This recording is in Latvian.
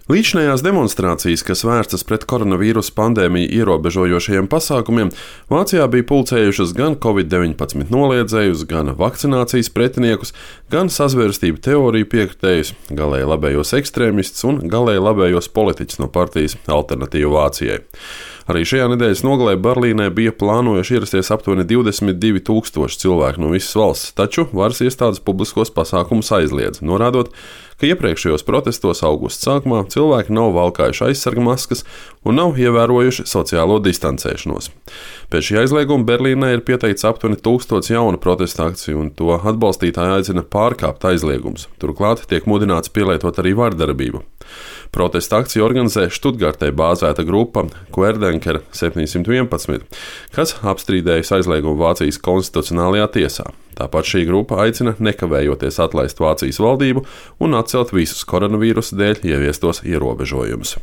Līdzinājās demonstrācijas, kas vērstas pret koronavīrusa pandēmiju ierobežojošajiem pasākumiem, Vācijā bija pulcējušas gan Covid-19 noliedzējus, gan vakcinācijas pretiniekus, gan sazvērstību teoriju piekritējus, galēji labējos ekstrēmistus un galēji labējos politiķus no partijas Alternatīva Vācijai. Arī šajā nedēļas nogalē Berlīnē bija plānojuši ierasties aptuveni 22,000 cilvēku no visas valsts, taču varas iestādes publiskos pasākumus aizliedz, norādot, ka iepriekšējos protestos augusta sākumā cilvēki nav valkājuši aizsarga maskas un nav ievērojuši sociālo distancēšanos. Pēc šī aizlieguma Berlīnē ir pieteikts aptuveni 1000 jaunu protestu akciju, un to atbalstītāji aicina pārkāpt aizliegumus. Turklāt tiek mudināts pielietot arī vardarbību. Protesta akciju organizē Štutgartē bāzēta grupa Querdenker 711, kas apstrīdējusi aizliegumu Vācijas konstitucionālajā tiesā. Tāpat šī grupa aicina nekavējoties atlaist Vācijas valdību un atcelt visus koronavīrusa dēļ ieviestos ierobežojumus.